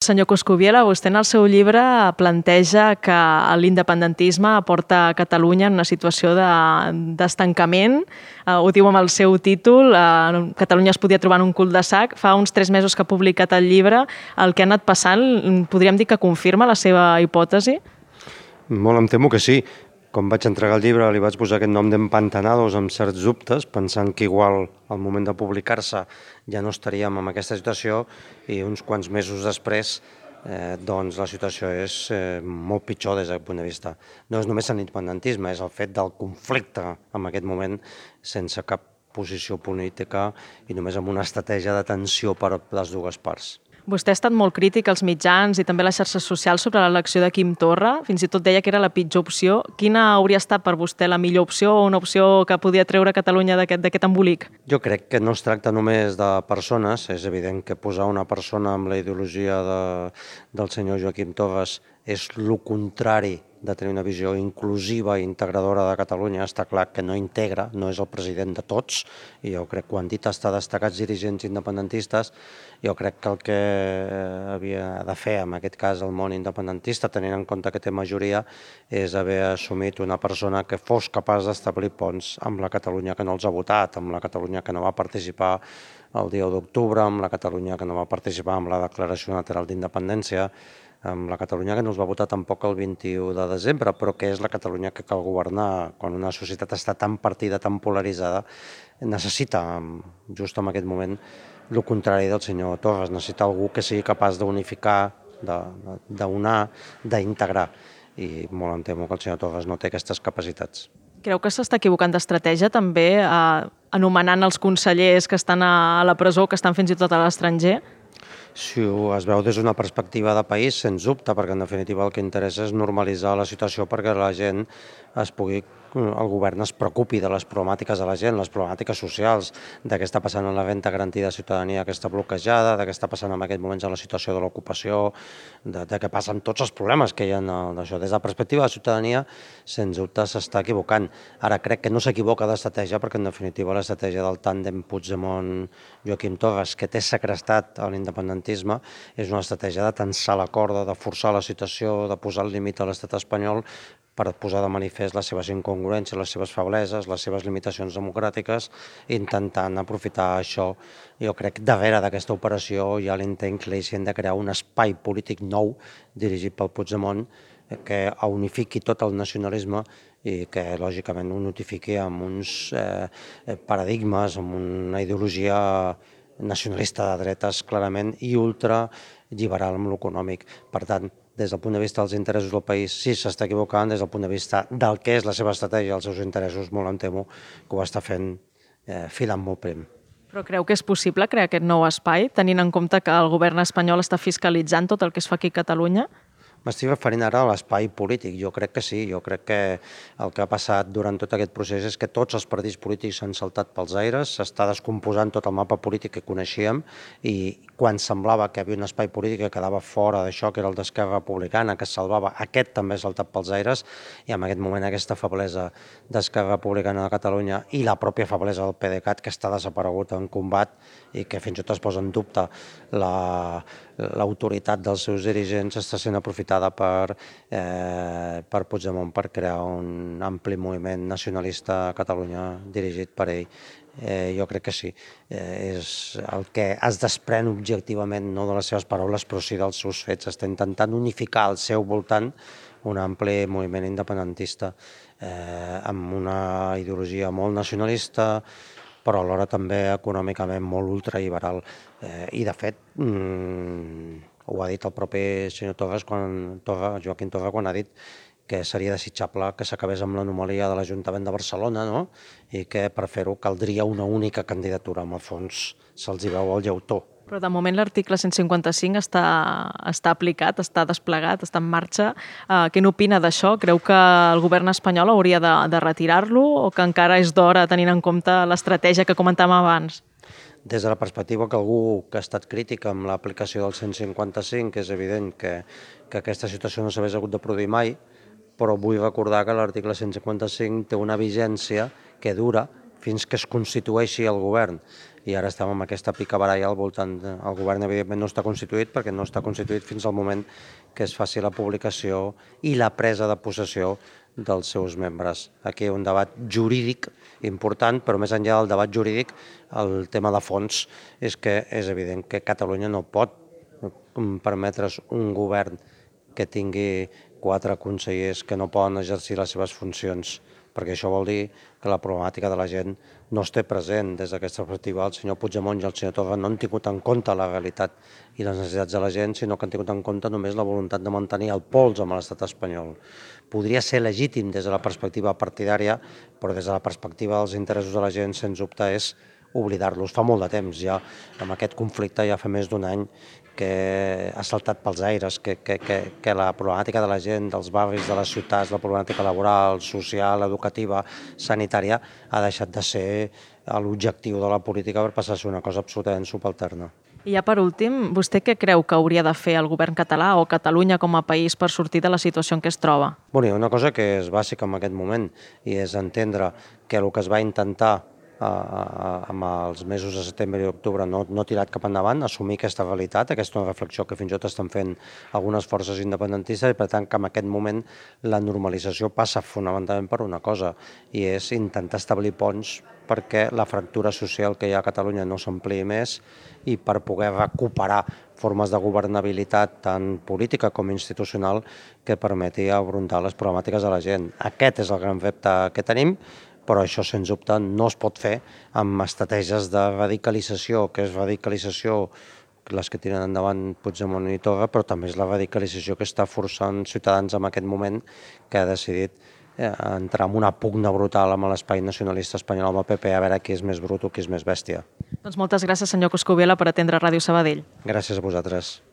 Senyor Coscubiela, vostè en el seu llibre planteja que l'independentisme porta Catalunya en una situació d'estancament. Ho diu amb el seu títol, Catalunya es podia trobar en un cul-de-sac. Fa uns 3 mesos que ha publicat el llibre. El que ha anat passant, podríem dir que confirma la seva hipòtesi? Molt em temo que sí. Com vaig entregar el llibre li vaig posar aquest nom d'Empantanados amb certs dubtes, pensant que igual al moment de publicar-se ja no estaríem en aquesta situació i uns quants mesos després doncs la situació és molt pitjor des d'aquest punt de vista. No és només l'independentisme, és el fet del conflicte en aquest moment sense cap posició política i només amb una estratègia de tensió per les dues parts. Vostè ha estat molt crític als mitjans i també a les xarxes socials sobre l'elecció de Quim Torra. Fins i tot deia que era la pitjor opció. Quina hauria estat per vostè la millor opció o una opció que podia treure Catalunya d'aquest embolic? Jo crec que no es tracta només de persones. És evident que posar una persona amb la ideologia del senyor Joaquim Torres és el contrari de tenir una visió inclusiva i integradora de Catalunya. Està clar que no integra, no és el president de tots, i jo crec que ho han dit hasta destacats dirigents independentistes. Jo crec que el que havia de fer, en aquest cas, el món independentista, tenint en compte que té majoria, és haver assumit una persona que fos capaç d'establir ponts amb la Catalunya que no els ha votat, amb la Catalunya que no va participar el dia 1 d'octubre, amb la Catalunya que no va participar en la Declaració Unilateral d'Independència, amb la Catalunya que no els va votar tampoc el 21 de desembre, però que és la Catalunya que cal governar quan una societat està tan partida, tan polaritzada, necessita, just en aquest moment, el contrari del senyor Torres, necessita algú que sigui capaç d'unificar, d'unar, d'integrar, i molt em temo que el senyor Torres no té aquestes capacitats. Creu que s'està equivocant d'estratègia també anomenant els consellers que estan a la presó, que estan fins i tot a l'estranger? Si es veu des d'una perspectiva de país, sens dubte, perquè en definitiva el que interessa és normalitzar la situació perquè la gent el govern es preocupi de les problemàtiques de la gent, les problemàtiques socials, de què està passant amb la renda garantida de ciutadania que està bloquejada, de què està passant en aquests moments en la situació de l'ocupació, de què passen tots els problemes que hi ha d'això. Des de la perspectiva de la ciutadania, sens dubte s'està equivocant. Ara crec que no s'equivoca d'estratègia perquè en definitiva l'estratègia del tàndem Puigdemont-Joaquim Torres, que té segrestat a l'independentisme, és una estratègia de tensar la corda, de forçar la situació, de posar el límit a l'estat espanyol per posar de manifest les seves incongruències, les seves febleses, les seves limitacions democràtiques, intentant aprofitar això. Jo crec que darrere d'aquesta operació hi ha l'intent cleixent de crear un espai polític nou dirigit pel Puigdemont que unifiqui tot el nacionalisme i que lògicament ho notifiqui amb uns paradigmes, amb una ideologia nacionalista de dretes clarament i ultraliberal amb l'econòmic. Per tant, des del punt de vista dels interessos del país, sí s'està equivocant, des del punt de vista del que és la seva estratègia, els seus interessos, molt em temo que ho està fent filant molt prim. Però creu que és possible crear aquest nou espai, tenint en compte que el govern espanyol està fiscalitzant tot el que es fa aquí a Catalunya? M'estic referint ara a l'espai polític. Jo crec que sí, jo crec que el que ha passat durant tot aquest procés és que tots els partits polítics s'han saltat pels aires, s'està descomposant tot el mapa polític que coneixíem i quan semblava que hi havia un espai polític que quedava fora d'això, que era el d'Esquerra Republicana, que es salvava, aquest també ha saltat pels aires i en aquest moment aquesta feblesa d'Esquerra Republicana de Catalunya i la pròpia feblesa del PDeCAT, que està desaparegut en combat i que fins i tot es posa en dubte l'autoritat dels seus dirigents, està sent aprofitada per Puigdemont per crear un ampli moviment nacionalista a Catalunya dirigit per ell. Jo crec que sí. És el que es desprèn objectivament, no de les seves paraules, però sí dels seus fets. Està intentant unificar al seu voltant un ampli moviment independentista amb una ideologia molt nacionalista, però alhora també econòmicament molt ultraliberal. I, de fet, ho ha dit el propi senyor Torres, Joaquim Torra, quan ha dit que seria desitjable que s'acabés amb l'anomalia de l'Ajuntament de Barcelona, no? I que per fer-ho caldria una única candidatura. En el fons se'ls hi veu el llautó. Però de moment l'article 155 està aplicat, està desplegat, està en marxa. Què n'opina d'això? Creu que el govern espanyol hauria de retirar-lo o que encara és d'hora tenint en compte l'estratègia que comentàvem abans? Des de la perspectiva que algú que ha estat crític amb l'aplicació del 155, és evident que aquesta situació no s'hagués hagut de produir mai, però vull recordar que l'article 155 té una vigència que dura fins que es constitueixi el govern. I ara estem amb aquesta picabaralla al voltant. El govern, evidentment, no està constituït perquè no està constituït fins al moment que es faci la publicació i la presa de possessió dels seus membres. Aquí hi ha un debat jurídic important, però més enllà del debat jurídic, el tema de fons és que és evident que Catalunya no pot permetre's un govern que tingui 4 consellers que no poden exercir les seves funcions, perquè això vol dir que la problemàtica de la gent no es té present. Des d'aquesta perspectiva, el senyor Puigdemont i el senyor Torra no han tingut en compte la realitat i les necessitats de la gent, sinó que han tingut en compte només la voluntat de mantenir el pols amb l'estat espanyol. Podria ser legítim des de la perspectiva partidària, però des de la perspectiva dels interessos de la gent, sens dubte, és oblidar-los. Fa molt de temps ja, amb aquest conflicte ja fa més d'un any que ha saltat pels aires, que la problemàtica de la gent, dels barris, de les ciutats, la problemàtica laboral, social, educativa, sanitària, ha deixat de ser l'objectiu de la política per passar a ser una cosa absolutament subalterna. I ja per últim, vostè què creu que hauria de fer el govern català o Catalunya com a país per sortir de la situació en què es troba? Bueno, una cosa que és bàsica en aquest moment i és entendre que el que es va intentar amb els mesos de setembre i octubre no ha tirat cap endavant, assumir aquesta realitat, aquesta és una reflexió que fins i tot estan fent algunes forces independentistes i per tant que en aquest moment la normalització passa fonamentalment per una cosa i és intentar establir ponts perquè la fractura social que hi ha a Catalunya no s'ampliï més i per poder recuperar formes de governabilitat tant política com institucional que permeti afrontar les problemàtiques de la gent. Aquest és el gran repte que tenim, però això, sens dubte, no es pot fer amb estratègies de radicalització, que és radicalització les que tiren endavant Puigdemont i Torra, però també és la radicalització que està forçant Ciutadans en aquest moment, que ha decidit entrar en una pugna brutal amb l'espai nacionalista espanyol, amb el PP, a veure qui és més brut o qui és més bèstia. Doncs moltes gràcies, senyor Coscubiela, per atendre Ràdio Sabadell. Gràcies a vosaltres.